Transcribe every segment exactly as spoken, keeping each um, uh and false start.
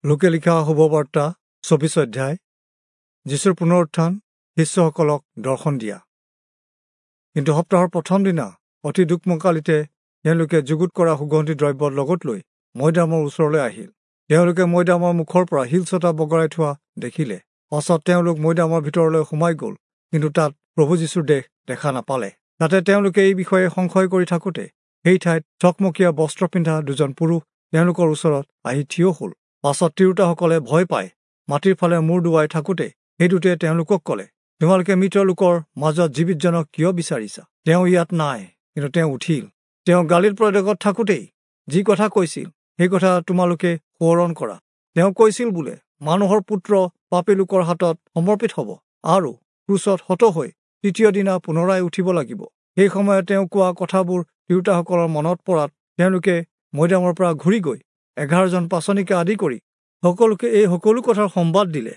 লোকে লিখা শুভবাৰ্তা চৌবিশ অধ্যায়, যীশুৰ পুনৰুত্থান, শিষ্যসকলক দৰ্শন দিয়া। কিন্তু সপ্তাহৰ প্ৰথম দিনা অতি দুখমকালিতে তেওঁলোকে যুগুত কৰা সুগন্ধি দ্ৰব্য লগত লৈ মৈদামৰ ওচৰলৈ আহিল। তেওঁলোকে মৈদামৰ মুখৰ পৰা শিলচটা বগৰাই থোৱা দেখিলে। পাছত তেওঁলোক মৈদামৰ ভিতৰলৈ সোমাই গ'ল, কিন্তু তাত প্ৰভু যীশুৰ দেহ দেখা নাপালে। তাতে তেওঁলোকে এই বিষয়ে সংশয় কৰি থাকোঁতে সেই ঠাইত চকমকীয়া বস্ত্ৰ পিন্ধা দুজন পুৰুষ তেওঁলোকৰ ওচৰত আহি থিয় হ'ল। পাছত তিৰোতাসকলে ভয় পাই মাটিৰ ফালে মূৰ দুৱাই থাকোঁতে সেই দুটাই তেওঁলোকক ক'লে, তোমালোকে মৃত লোকৰ মাজত জীৱিতজনক কিয় বিচাৰিছা? তেওঁ ইয়াত নাই, কিন্তু তেওঁ উঠিল। তেওঁ গালিল প্ৰদেশত থাকোঁতেই যি কথা কৈছিল সেই কথা তোমালোকে সোঁৱৰণ কৰা। তেওঁ কৈছিল বোলে, মানুহৰ পুত্ৰ পাপী লোকৰ হাতত সমৰ্পিত হ'ব আৰু ক্ৰুচত হত হৈ তৃতীয় দিনা পুনৰাই উঠিব লাগিব। সেই সময়ত তেওঁ কোৱা কথাবোৰ তিৰোতাসকলৰ মনত পৰাত তেওঁলোকে মৈদামৰ পৰা ঘূৰি গৈ এঘাৰজন পাচনিকে আদি কৰি সকলোকে এই সকলো কথাৰ সম্বাদ দিলে।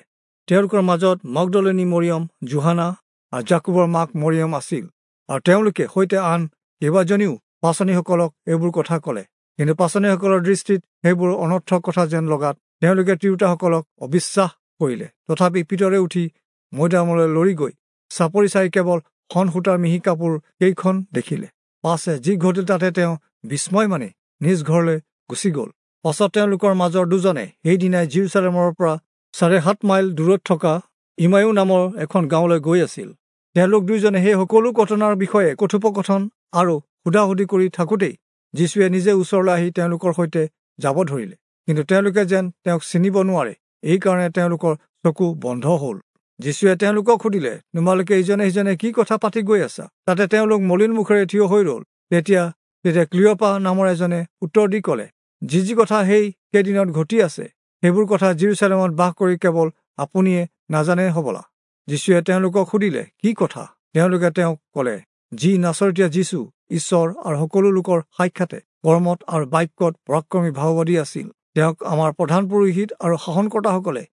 তেওঁলোকৰ মাজত মগদলেনী মৰিয়ম, জোহানা আৰু জাকুবৰ মাক মৰিয়ম আছিল, আৰু তেওঁলোকে সৈতে আন কেইবাজনীও পাচনিসকলক এইবোৰ কথা ক'লে। কিন্তু পাচনিসকলৰ দৃষ্টিত সেইবোৰ অনৰ্থক কথা যেন লগাত তেওঁলোকে তিৰোতাসকলক অবিশ্বাস কৰিলে। তথাপি পিতৰে উঠি মৈদামলৈ লৰি গৈ চাপৰি চাই কেৱল শন সূতাৰ মিহি কাপোৰ কেইখন দেখিলে। পাছে যি ঘটিল তাতে তেওঁ বিস্ময় মানি নিজ ঘৰলৈ গুচি গ'ল। পাছত তেওঁলোকৰ মাজৰ দুজনে সেইদিনাই জিৰচালেমৰ পৰা চাৰে সাত মাইল দূৰত থকা ইমায়ু নামৰ এখন গাঁৱলৈ গৈ আছিল। তেওঁলোক দুইজনে সেই সকলো ঘটনাৰ বিষয়ে কথোপকথন আৰু সোধা-সুধি কৰি থাকোঁতেই যীশুৱে নিজে ওচৰলৈ আহি তেওঁলোকৰ সৈতে যাব ধৰিলে। কিন্তু তেওঁলোকে যেন তেওঁক চিনিব নোৱাৰে, এইকাৰণে তেওঁলোকৰ চকু বন্ধ হ'ল। যীশুৱে তেওঁলোকক সুধিলে, তোমালোকে ইজনে সিজনে কি কথা পাতি গৈ আছা? তাতে তেওঁলোক মলিন মুখেৰে থিয় হৈ ৰ'ল। তেতিয়া তেতিয়া ক্লিঅপা নামৰ এজনে উত্তৰ দি ক'লে, যি যি কথা সেই কেইদিনত ঘটি আছে সেইবোৰ কথা জিৰচালেমত বাস কৰি কেৱল আপুনিয়ে নাজানে হ'বলা। যীশুৱে তেওঁলোকক সুধিলে, কি কথা? তেওঁলোকে তেওঁক ক'লে, যি নাচৰতীয়া যীশু ঈশ্বৰ আৰু সকলো লোকৰ সাক্ষাতে কৰ্মত আৰু বাক্যত পৰাক্ৰমী ভাৱবাদী আছিল, তেওঁক আমাৰ প্ৰধান পুৰোহিত আৰু শাসনকৰ্তাসকলে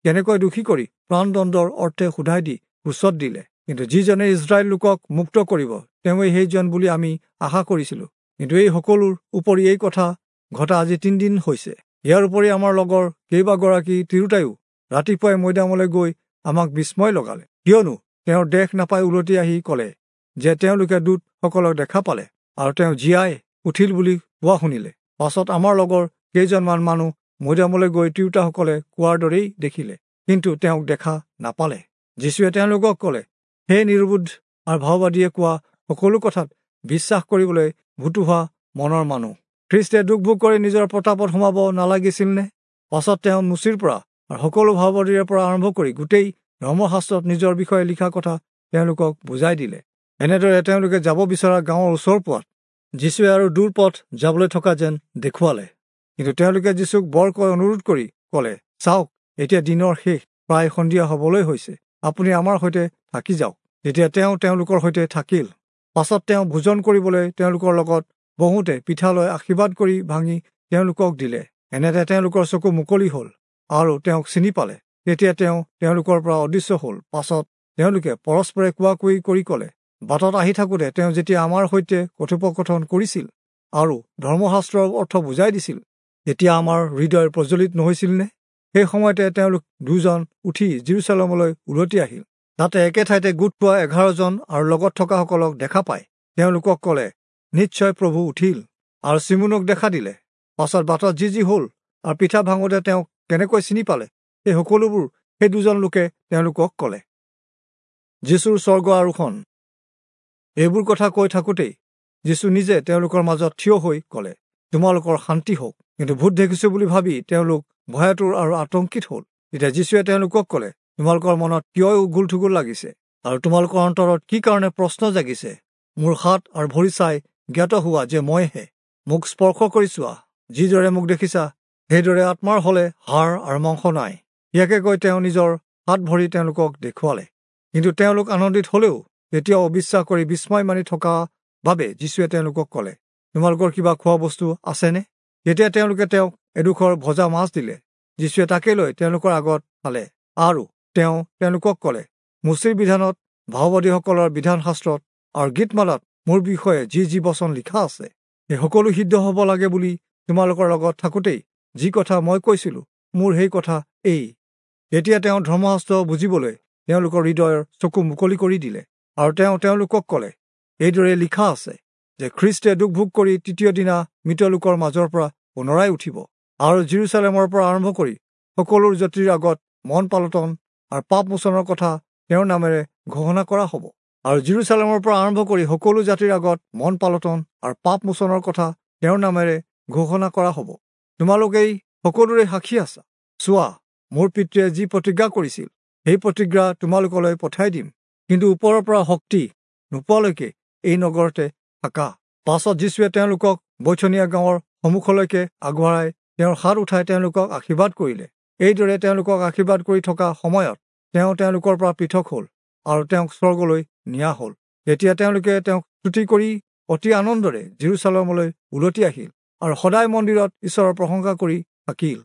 কেনেকৈ দোষী কৰি প্ৰাণদণ্ডৰ অৰ্থে সোধাই দি ক্ৰুচত দিলে। কিন্তু যিজনে ইজৰাইল লোকক মুক্ত কৰিব তেওঁৱেই সেইজন বুলি আমি আশা কৰিছিলোঁ। কিন্তু এই সকলোৰ উপৰি এই কথা ঘটা আজি তিনিদিন হৈছে। ইয়াৰ উপৰি আমাৰ লগৰ কেইবাগৰাকী তিৰোতায়ো ৰাতিপুৱাই মৈদামলৈ গৈ আমাক বিস্ময় লগালে, কিয়নো তেওঁৰ দেশ নাপাই উলটি আহি ক'লে যে তেওঁলোকে দূতসকলক দেখা পালে আৰু তেওঁ জীয়াই উঠিল বুলি কোৱা শুনিলে। পাছত আমাৰ লগৰ কেইজনমান মানুহ মৈদামলৈ গৈ তিৰোতাসকলে কোৱাৰ দৰেই দেখিলে, কিন্তু তেওঁক দেখা নাপালে। যীশুৱে তেওঁলোকক ক'লে, হে নিৰ্বোধ আৰু ভাওবাদীয়ে কোৱা সকলো কথাত বিশ্বাস কৰিবলৈ ভুতুহা মনৰ মানুহ, খ্ৰীষ্টে দুখ ভোগ কৰি নিজৰ প্ৰতাপত সোমাব নালাগিছিলনে? পাছত তেওঁ মুচিৰ পৰা আৰু সকলো ভাওবাদীৰে পৰা আৰম্ভ কৰি গোটেই ধৰ্মশাস্ত্ৰত নিজৰ বিষয়ে লিখা কথা তেওঁলোকক বুজাই দিলে। এনেদৰে তেওঁলোকে যাব বিচৰা গাঁৱৰ ওচৰ পোৱাত যীশুৱে আৰু দূৰ পথ যাবলৈ থকা যেন দেখুৱালে। কিন্তু তেওঁলোকে যীশুক বৰকৈ অনুৰোধ কৰি ক'লে, চাওক, এতিয়া দিনৰ শেষ, প্ৰায় সন্ধিয়া হ'বলৈ হৈছে, আপুনি আমাৰ সৈতে থাকি যাওক। তেতিয়া তেওঁ তেওঁলোকৰ সৈতে থাকিল। পাছত তেওঁ ভোজন কৰিবলৈ তেওঁলোকৰ লগত বহোঁতে পিঠা লৈ আশীৰ্বাদ কৰি ভাঙি তেওঁলোকক দিলে। এনেতে তেওঁলোকৰ চকু মুকলি হ'ল আৰু তেওঁক চিনি পালে। তেতিয়া তেওঁ তেওঁলোকৰ পৰা অদৃশ্য হ'ল। পাছত তেওঁলোকে পৰস্পৰে কোৱা-কুই কৰি ক'লে, বাটত আহি থাকোঁতে তেওঁ যেতিয়া আমাৰ সৈতে কথোপকথন কৰিছিল আৰু ধৰ্মশাস্ত্ৰৰ অৰ্থ বুজাই দিছিল, তেতিয়া আমাৰ হৃদয় প্ৰজ্বলিত নহৈছিলনে? সেই সময়তে তেওঁলোক দুজন উঠি জিৰচালেমলৈ উলটি আহিল। তাতে একে ঠাইতে গোট খোৱা এঘাৰজন আৰু লগত থকাসকলক দেখা পাই তেওঁলোকক ক'লে, নিশ্চয় প্ৰভু উঠিল আৰু চিমোনক দেখা দিলে। পাছত বাটত যি যি হ'ল আৰু পিঠা ভাঙোতে তেওঁক কেনেকৈ চিনি পালে, সেই সকলোবোৰ সেই দুজন লোকে তেওঁলোকক ক'লে। যীশুৰ স্বৰ্গ আৰোহণ। এইবোৰ কথা কৈ থাকোঁতেই যীশু নিজে তেওঁলোকৰ মাজত থিয় হৈ ক'লে, তোমালোকৰ শান্তি হওক। কিন্তু ভূত দেখিছোঁ বুলি ভাবি তেওঁলোক ভয়াতুৰ আৰু আতংকিত হ'ল। তেতিয়া যীশুৱে তেওঁলোকক ক'লে, তোমালোকৰ মনত কিয় উগুল-থুগুল লাগিছে আৰু তোমালোকৰ অন্তৰত কি কাৰণে প্ৰশ্ন জাগিছে? মোৰ হাত আৰু ভৰি চাই জ্ঞাত হোৱা যে মইহে। মোক স্পৰ্শ কৰি চোৱা, যিদৰে মোক দেখিছা সেইদৰে আত্মাৰ হ'লে হাড় আৰু মাংস নাই। ইয়াকে কৈ তেওঁ নিজৰ হাত ভৰি তেওঁলোকক দেখুৱালে। কিন্তু তেওঁলোক আনন্দিত হ'লেও তেতিয়াও অবিশ্বাস কৰি বিস্ময় মানি থকা বাবে যীশুৱে তেওঁলোকক ক'লে, তোমালোকৰ কিবা খোৱা বস্তু আছেনে? তেতিয়া তেওঁলোকে তেওঁক এডোখৰ ভজা মাছ দিলে। যীশুৱে তাকে লৈ তেওঁলোকৰ আগত খালে আৰু তেওঁ তেওঁলোকক ক'লে, মুচিৰ বিধানত, ভাওবাদীসকলৰ বিধানশাস্ত্ৰত আৰু গীতমালাত মোৰ বিষয়ে যি যি বচন লিখা আছে সেই সকলো সিদ্ধ হ'ব লাগে বুলি তোমালোকৰ লগত থাকোঁতেই যি কথা মই কৈছিলোঁ, মোৰ সেই কথা এই। তেতিয়া তেওঁ ধৰ্মশাস্ত্ৰ বুজিবলৈ তেওঁলোকৰ হৃদয়ৰ চকু মুকলি কৰি দিলে, আৰু তেওঁ তেওঁলোকক ক'লে, এইদৰে লিখা আছে যে খ্ৰীষ্টে দুখ ভোগ কৰি তৃতীয় দিনা মৃত লোকৰ মাজৰ পৰা পুনৰাই উঠিব, আৰু জিৰচালেমৰ পৰা আৰম্ভ কৰি সকলো জাতিৰ আগত মন পালটন আৰু পাপ মোচনৰ কথা তেওঁৰ নামেৰে ঘোষণা কৰা হ'ব। আৰু জিৰচালেমৰ পৰা আৰম্ভ কৰি সকলো জাতিৰ আগত মন পালটন আৰু পাপ মোচনৰ কথা তেওঁৰ নামেৰে ঘোষণা কৰা হ'ব। তোমালোকেই সকলোৰে সাক্ষী আছা। চোৱা, মোৰ পিতৃয়ে যি প্ৰতিজ্ঞা কৰিছিল সেই প্ৰতিজ্ঞা তোমালোকলৈ পঠাই দিম, কিন্তু ওপৰৰ পৰা শক্তি নোপোৱালৈকে এই নগৰতে থাকা। পাছত যীশুৱে তেওঁলোকক বৈথনিয়া গাঁৱৰ সন্মুখলৈকে আগবঢ়াই তেওঁৰ হাত উঠাই তেওঁলোকক আশীৰ্বাদ কৰিলে। এইদৰে তেওঁলোকক আশীৰ্বাদ কৰি থকা সময়ত তেওঁ তেওঁলোকৰ পৰা পৃথক হ'ল আৰু তেওঁক স্বৰ্গলৈ নিয়া হ'ল। তেতিয়া তেওঁলোকে তেওঁক স্তুতি কৰি অতি আনন্দৰে জিৰচালেমলৈ উলটি আহিল আৰু সদায় মন্দিৰত ঈশ্বৰৰ প্ৰশংসা কৰি থাকিল।